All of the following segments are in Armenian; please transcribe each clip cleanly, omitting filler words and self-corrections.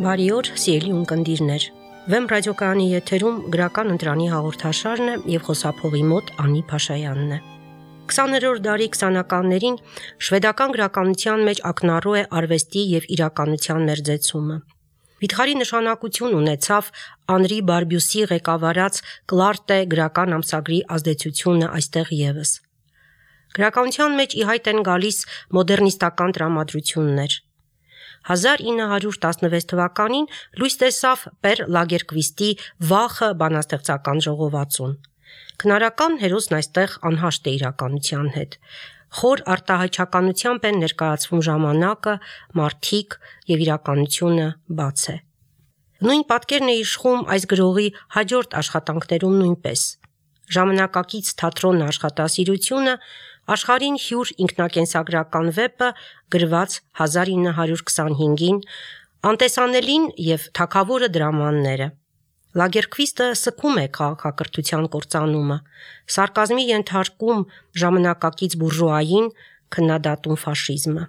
Բարի օր, սիրելի ունկնդիրներ։ Վեմ ռադիոկայանի եթերում գրական ընտրանի հաղորդաշարն է եւ խոսափողի մոտ Անի Փաշայանն է։ 20-րդ դարի 20-ականներին շվեդական գրականության մեջ ակնառու է արվեստի եւ իրականության մերձեցումը։ Վիթխարի նշանակություն ունեցավ Անրի Բարբյուսի ղեկավարած Կլարտե գրական ամսագրի ազդեցությունը այստեղ եւս։ Գրականության մեջ ի հայտ են գալիս մոդեռնիստական տրամադրություններ։ 1916 թվականին լույս տեսավ Պեր Լագերկվիստի «Վախը» բանաստեղծական ժողովածուն։ Քնարական հերոսն այստեղ անհաշտ է իրականության հետ։ Խոր արտահայտչականությամբ են ներկայացվում ժամանակը, մարդիկ եւ իրականությունը բաց է։ Նույն պատկերն է իշխում այս գրողի հաջորդ աշխատանքներում նույնպես։ Ժամանակակից թատրոն աշխատասիրությունը աշխարհին հյուր ինքնակենսագրական վեպը գրված 1925-ին, անտեսանելին եւ թագավորը դրամանները։ Լագերկվիստը սկում է քաղաքակրթության կործանումը, սարկազմի ենթարկում ժամանակակից բուրժուային, քննադատում ֆաշիզմը։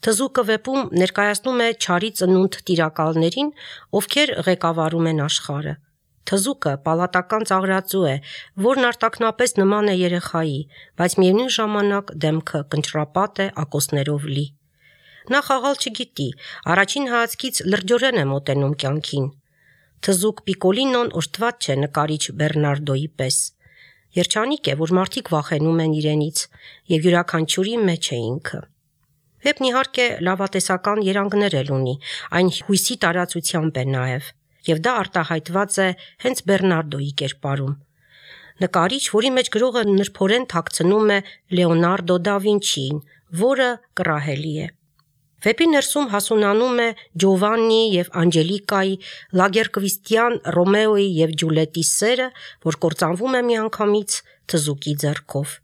Թզուկը վեպում ներկայացնում է չարի ծնունդ տիրակալներին, ովքեր ղեկավարում են աշխարհը։ Թզուկը պալատական ծաղրածու է, որն արտաքնապես նման է երեխայի, բայց միևնույն ժամանակ դեմքը կնճռապատ է ակոսներով լի։ Նա խաղալ չգիտի, առաջին հայացքից լրջորեն է մոտենում կյանքին։ Թզուկ Պիկոլինոն օժտված չէ նկարիչ Բեռնարդոյի պես։ Երջանիկ է, որ մարդիկ վախենում են իրենից, եւ յուրաքանչյուրի մեջ է ինքը։ Վեպն իհարկե լավատեսական երանգներ էլ ունի, այն հույսի տարածությամբ է նաեւ, եւ դա արտահայտված է հենց Բեռնարդոյի կերպարում։ Նկարիչ, որի մեջ գրողը նրբորեն թաքցնում է Լեոնարդո դա Վինչիին, որը կռահելի է։ Վեպի ներսում հասունանում է Ջովաննի եւ Անջելիկայի, Լագերկվիստյան Ռոմեոյի եւ Ջուլիետի սերը, որ կործանվում է միանգամից թզուկի ձեռքով։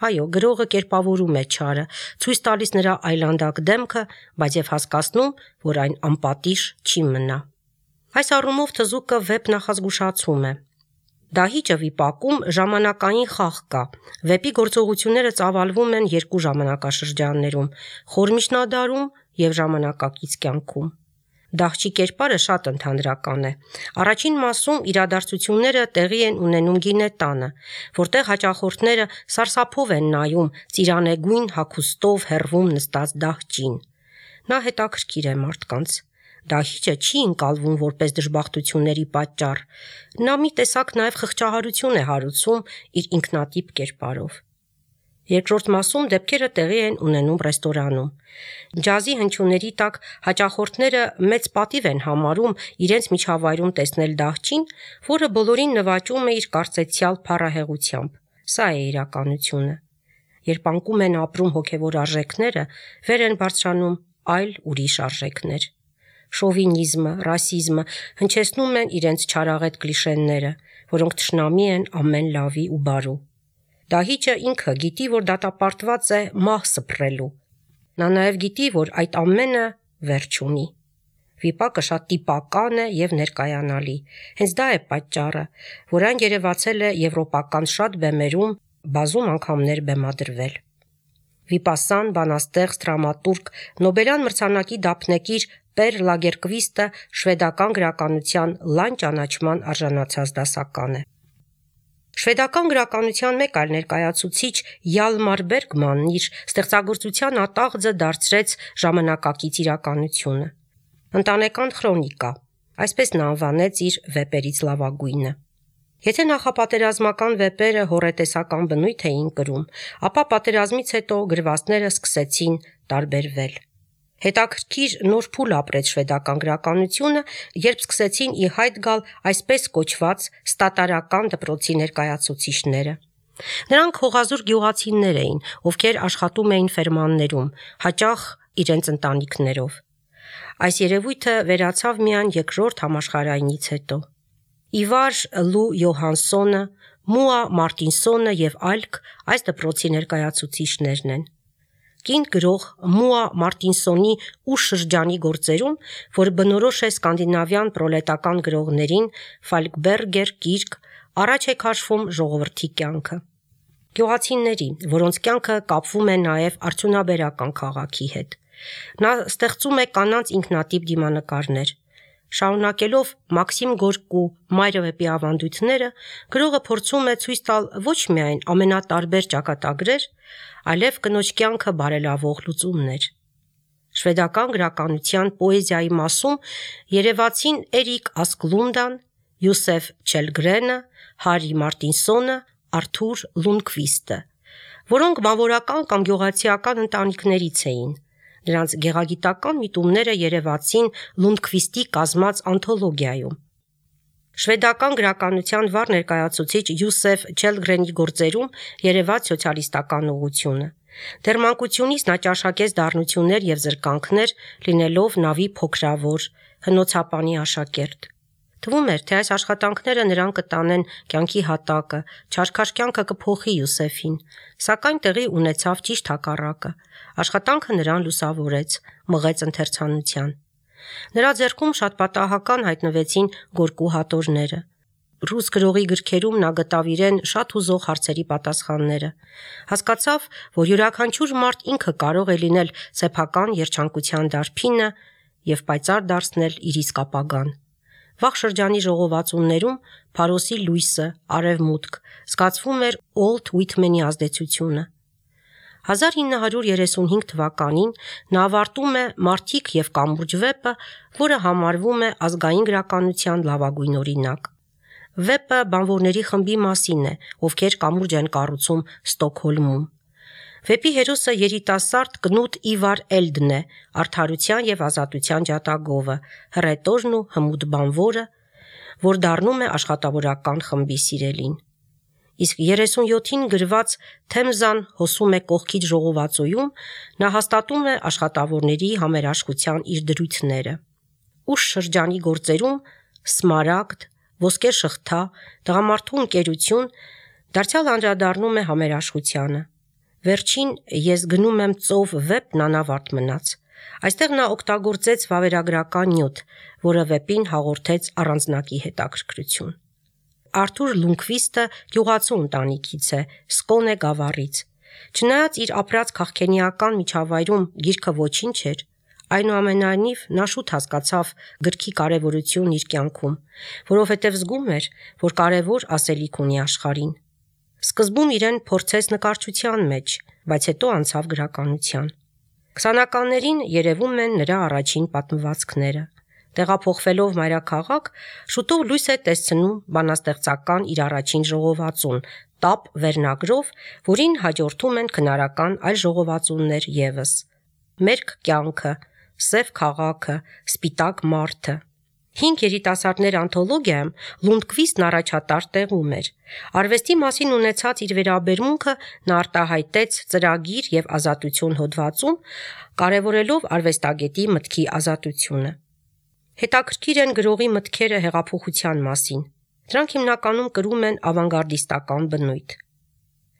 Այո, գրողը կերպավորում է չարը, ցույց տալիս նրա այլանդակ դեմքը, բայց եւ հասկացնում, որ այն անպատիժ չի մնա։ Այս առումով թզուկը վեպ նախազգուշացում է։ Դահիճը վիպակում ժամանակային խաղ կա։ Վեպի գործողությունները ծավալվում են երկու ժամանակաշրջաններում՝ խոր միջնադարում եւ ժամանակակից կյանքում։ Դահճի կերպարը շատ ընդհանրական է։ Առաջին մասում իրադարձությունները տեղի են ունենում գինետանը, որտեղ հաճախորդները սարսափով են նայում ծիրանեգույն հագուստով հեռվում նստած դահճին։ Նա հետաքրքիր է մարդկանց։ Դահիճը չի ընկալվում որպես դժբախտությունների պատճառ։ Նա մի տեսակ նաև խղճահարություն է հարուցում իր ինքնատիպ կերպարով։ Երկրորդ մասում դեպքերը տեղի են ունենում ռեստորանում։ Ջազի հնչյունների տակ հաճախորդները մեծ պատիվ են համարում իրենց միջավայրում տեսնել դահճին, որը բոլորին նվաճում է իր կարծեցյալ փառահեղությամբ։ Սա է իրականությունը։ Երբ անկում են ապրում հոգևոր արժեքները, վեր են բարձրանում այլ ուրիշ արժեքներ։ Շովինիզմը, ռասիզմը հնչեցնում են իրենց չարաղետ կլիշեները, որոնք թշնամի են ամեն լավի ու բարու։ Դահիճը ինքը գիտի, որ դատապարտված է մահ սփռելու։ Նա նաև գիտի, որ այդ ամենը վերջ ունի։ Վիպակը շատ տիպական է եւ ներկայանալի։ Հենց դա է պատճառը, որ այն երևացել է եվրոպական շատ բեմերում, բազում անգամներ բեմադրվել։ Վիպասան, բանաստեղծ, դրամատուրգ, Նոբելյան մրցանակի դափնեկիր Պեր Լագերկվիստը շվեդական գրականության լայն ճանաչման արժանացած դասական է։ Շվեդական գրականության մեկ այլ ներկայացուցիչ Յալմար Բերգմանն իր ստեղծագործության ատաղձը դարձրեց ժամանակակից իրականությունը։ Ընտանեկան քրոնիկա, այսպես նա անվանեց իր վեպերից լավագույնը։ Եթե նախապատերազմական վեպերը հոռետեսական բնույթ էին կրում, ապա պատերազմից հետո գրվածները սկսեցին տարբերվել։ Հետաքրքիր նոր փուլ ապրեց շվեդական գրականությունը, երբ սկսեցին ի հայտ գալ այսպես կոչված ստատարական դպրոցի ներկայացուցիչները։ Նրանք հողազուր գյուղացիներ էին, ովքեր աշխատում էին ֆերմաններում, հաճախ իրենց ընտանիքներով։ Այս երևույթը վերացավ միայն Երկրորդ համաշխարհայինից հետո։ Իվար Լու Յոհանսոնը, Մուա Մարտինսոնը եւ այլք այս դպրոցի ներկայացուցիչներն են։ Կին գրող Մուա Մարտինսոնի ու շրջանի գործերում, որ բնորոշ է սկանդինավյան պրոլետական գրողներին, Ֆալկբերգեր գիրք, առաջ է քաշվում ժողովրդի կյանքը։ Գյուղացիների, որոնց կյանքը կապվում է նաև արդյունաբերական քաղաքի հետ։ Նա ստեղծում է կանանց ինքնատիպ դիմանկարներ։ Շարունակելով Մաքսիմ Գորկու Մայրը վեպի ավանդույթները, գրողը փորձում է ցույց տալ ոչ միայն ամենատարբեր ճակատագրեր, այլև կնոջ կյանքը բարելավող լուծումներ։ Շվեդական գրականության պոեզիայի մասում երևացին Էրիկ Ասկլունդան, Յուսեֆ Չելգրենը, Հարի Մարտինսոնը, Արթուր Լունդկվիստը, որոնք բանվորական կամ գյուղացիական ընտանիքներից էին։ Նրանց գեղագիտական միտումները երևացին Լունդկվիստի կազմած անթոլոգիայում։ Շվեդական գրականության վառ ներկայացուցիչ Յուսեֆ Չելգրենի գործերում երևաց սոցիալիստական ուղղությունը։ Դեռ մանկությունից նա ճաշակեց դառնություններ եւ զրկանքներ, լինելով նավի փոքրավոր հնոցապանի աշակերտ։ Թվում էր, թե այս աշխատանքները նրան կտանեն կյանքի հատակը, չարքաշ կյանքը կփոխի Յուսեֆին, սակայն տեղի ունեցավ ճիշտ հակառակը։ Աշխատանքը նրան լուսավորեց, մղեց ընթերցանության։ Նրա ձեռքում շատ պատահական հայտնվեցին Գորկու հատորները։ Ռուս գրողի գրքերում նա գտավ իրեն շատ հուզող հարցերի պատասխանները։ Հասկացավ, որ յուրաքանչյուր մարդ ինքը կարող է լինել սեփական երջանկության դարբինը եւ պայծառ դարձնել իր իսկ ապագան։ Վաղ շրջանի ժողովածուներում Փարոսի լույսը, արևմուտք, զգացվում էր Ուոլթ Ուիթմենի ազդեցությունը։ 1935 թվականին նա ավարտում է «Մարդիկ և կամուրջ» վեպը, որը համարվում է ազգային գրականության լավագույն օրինակ։ Վեպը բանվորների խմբի մասին է, ովքեր կամուրջ են կառուցում Ստոկհոլմում։ Վեպի հերոսը երիտասարդ Կնուտ Իվար Էլդն է, արդարության և ազատության ջատագովը, հռետորն ու հմուտ բանվորը, որ դառնում է աշխատավորական խմբի սիրելին։ Իսկ 37-ին գրված «Թեմզան հոսում է կողքից» ժողովածոյում նա հաստատում է աշխատավորների համերաշխության իր դրույթները։ Ուշ շրջանի գործերում «Սմարագդ», «Ոսկե շղթա», «Տղամարդու ընկերություն» դարձյալ անդրադառնում է համերաշխությանը։ Վերջին «Ես գնում եմ ծով» վեպն անավարտ մնաց։ Այստեղ նա օգտագործեց վավերագրական նյութ, որը վեպին հաղորդեց առանձնակի հետաքրքրություն։ Արթուր Լունդկվիստը գյուղացու ընտանիքից է, Սկոնե գավառից։ Չնայած իր ապրած քաղաքենիական միջավայրում գիրքը ոչինչ էր, այնուամենայնիվ նա շուտ հասկացավ գրքի կարևորությունն իր կյանքում, որովհետև զգում էր, որ կարևոր ասելիք ունի աշխարհին։ Սկզբում իրեն փորձեց նկարչության մեջ, բայց հետո անցավ գրականության։ 20-ականներին երևում են նրա առաջին պատմվածքները։ Տեղափոխվելով մայրաքաղաք, շուտով լույս է տեսնում բանաստեղծական իր առաջին ժողովածուն՝ «Տապ» վերնագրով, որին հաջորդում են քնարական այլ ժողովածուներ ևս՝ «Մերկ կյանքը», «Սև քաղաքը», «Սպիտակ մարդը»։ 5 երիտասարդներ անթոլոգիայում Լունդկվիստն առաջատար տեղում էր։ Արվեստի մասին ունեցած իր վերաբերմունքը նա արտահայտեց «Ծրագիր և ազատություն» հոդվածում, կարևորելով արվեստագետի մտքի ազատությունը։ Հետաքրքիր են գրողի մտքերը հեղափոխության մասին։ Դրանք հիմնականում կրում են ավանգարդիստական բնույթ։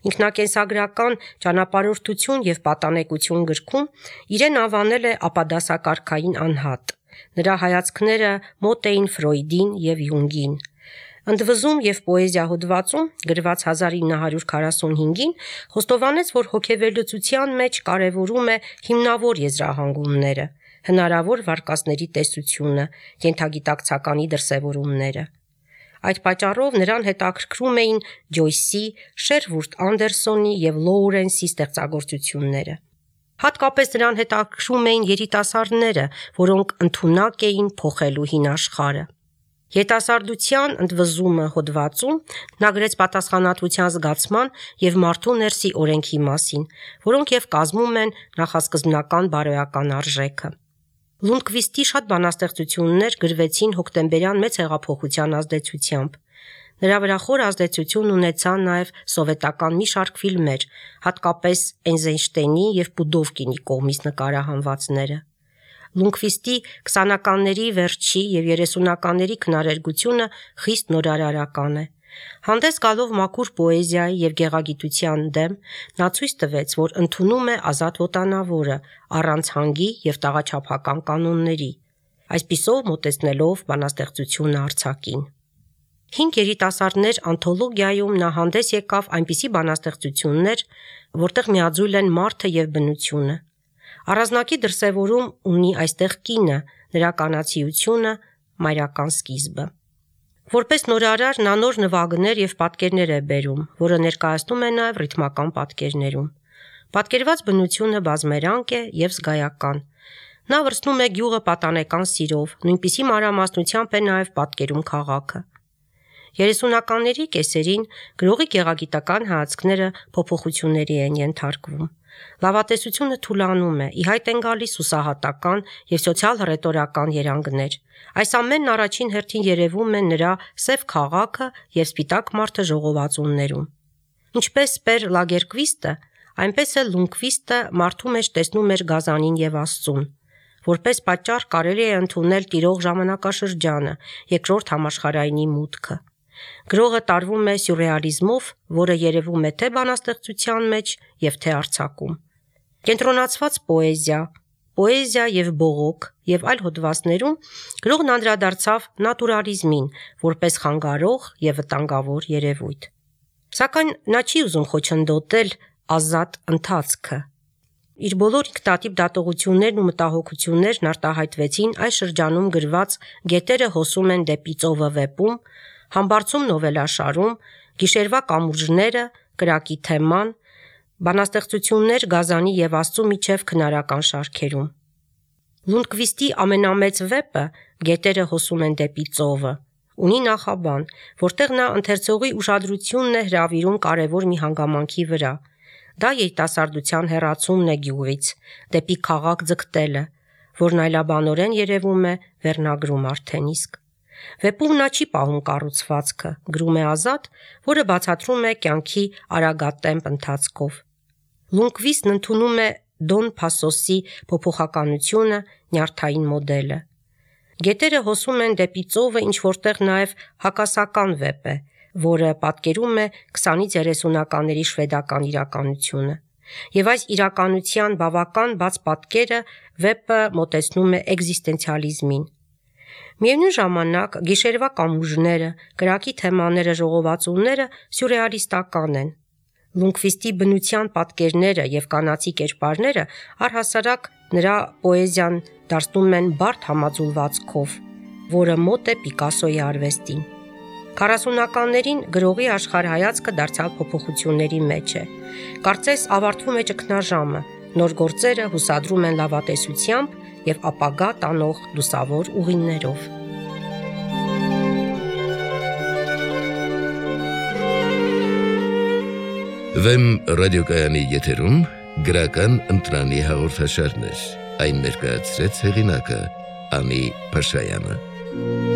Ինքնակենսագրական «Ճանապարհորդություն և պատանեկություն» գրքում իրեն անվանել է ապադասակարգային անհատ։ Նրա հայացքները մոտ էին Ֆրոյդին և Յունգին։ «Ընդվզում և պոեզիա» հոդվածում, գրված 1945-ին, խոստովանեց, որ հոգեվերլուծության մեջ կարևորում է հիմնավոր եզրահանգումները, հնարավոր վարկածների տեսությունը, ենթագիտակցականի դրսևորումները։ Այդ պատճառով նրան հետաքրքրում էին Ջոյսի, Շերվուդ Անդերսոնի և Լոուրենսի ստեղծագործությունները։ Հատկապես նրան հետաքրքրում էին երիտասարդները, որոնք ընդունակ էին փոխելու հին աշխարհը։ «Երիտասարդության ընդվզումը» հոդվածում նա գրեց պատասխանատվության զգացման և մարդու ներսի օրենքի մասին, որոնք և կազմում են նախասկզբնական բարոյական արժեքը։ Լունդկվիստի շատ բանաստեղծություններ գրվեցին հոկտեմբերյան մեծ հեղափոխության ազդեցությամբ։ Նրա վրա խոր ազդեցություն ունեցան նաև սովետական մի շարք ֆիլմեր, հատկապես Էյզենշտեյնի և Պուդովկինի կողմից նկարահանվածները։ Լունդկվիստի 20-ականների վերջի և 30-ականների քնարերգությունը խիստ նորարարական է։ Հանդես գալով մաքուր պոեզիայի և գեղագիտության դեմ, նա ցույց տվեց, որ ընդունում է ազատ ոտանավորը, առանց հանգի և տաղաչափական կանոնների, այսպիսով մոտեցնելով բանաստեղծությունը արձակին։ 5 երիտասարդներ անթոլոգիայում նա հանդես եկավ այնպիսի բանաստեղծություններ, որտեղ միաձույլ են մարդը և բնությունը։ Առանձնակի դրսևորում ունի այստեղ կինը, նրա կանացիությունը, մայրական սկիզբը։ Որպես նորարար նա նոր նվագներ եւ պատկերներ է բերում, որը ներկայացնում է նաեւ ռիթմական պատկերներում։ Պատկերված բնությունը բազմերանգ է եւ զգայական։ Նա վրցնում է գյուղը պատանեկան սիրով, նույնպիսի մանրամասնությամբ է նաեւ պատկերում քաղաքը։ 30-ականների կեսերին գրողի գեղագիտական հայացքները փոփոխությունների են ենթարկվում։ Լավատեսությունը թուլանում է, ի հայտ են գալիս հուսահատական եւ սոցիալ-հռետորական երանգներ։ Այս ամենն առաջին հերթին երևում է նրա սև քաղաքը եւ սպիտակ մարդը ժողովածուններում։ Ինչպես Պեր Լագերկվիստը, այնպես էլ Լունդկվիստը մարդու մեջ տեսնում էր գազանին եւ Աստծուն։ Որպես պատճառ կարելի է ընդունել տիրող ժամանակաշրջանը, երկրորդ համաշխարհայինի մուտքը։ Գրողը տարվում է սյուրռեալիզմով, որը երևում է թե բանաստեղծության մեջ եւ թե արձակում։ Կենտրոնացված պոեզիա եւ բողոք եւ այլ հոդվածներում գրողն անդրադարձավ նատուրալիզմին որպես խանգարող եւ վտանգավոր երևույթ։ Սակայն նա չի ուզում խոչընդոտել ազատ ընթացքը։ Իր բոլոր ինքնատիպ դատողություններն ու մտահոգություններն արտահայտվեցին այս շրջանում գրված «Գետերը հոսում են դեպի ծովը» վեպում, «Համբարձում» նովելաշարում, «Գիշերվա կամուրջները», «Կրակի թեման», բանաստեղծություններ Գազանի եւ Աստծու միջև քնարական շարքերում։ Լունդկվիստի ամենամեծ վեպը «Գետերը հոսում են դեպի ծովը» ունի նախաբան, որտեղ նա ընթերցողի ուշադրությունն է հրավիրում կարևոր մի հանգամանքի վրա։ Դա երիտասարդության հեռացումն է գյուղից, դեպի քաղաք ձգտելը, որն այլաբանորեն երևում է վերնագրում արդեն իսկ։ Վեպում նա չի պահում կառուցվածքը, գրում է Ազատ, որը բացատրում է կյանքի արագատեմպ ընթացքով։ Լունդկվիստն ընդունում է Դոն Փասոսի փոփոխականությունը, նյարդային մոդելը։ Գետերը հոսում են դեպի ծովը ինչ որտեղ նաև հակասական վեպ է, որը պատկերում է 20-ից 30-ականների շվեդական իրականությունը։ Եվ այս իրականության բավական բաց պատկերը վեպը մոտեցնում է էկզիստենցիալիզմին։ Միևնույն ժամանակ գիշերվա կամուրջները, կրակի թեմաները, ժողովածուները սյուրռեալիստական են։ Լունդկվիստի բնության պատկերները եւ կանացի կերպարները առհասարակ նրա պոեզիան դարձնում են բարդ համաձուլվածքով, որը մոտ է Պիկասոյի արվեստին։ 40-ականներին գրողի աշխարհայացքը դարձյալ փոփոխությունների մեջ է։ Կարծես ավարտվում է ճգնաժամը, նոր գործերը հուսադրում են լավատեսությամբ եւ ապագա տանող լուսավոր ուղիներով։ Վեմ ռադիոկայանի եթերում գրական ընտրանի հաղորդաշարներ, այն ներկայացրեց հեղինակը Անի Փաշայանը։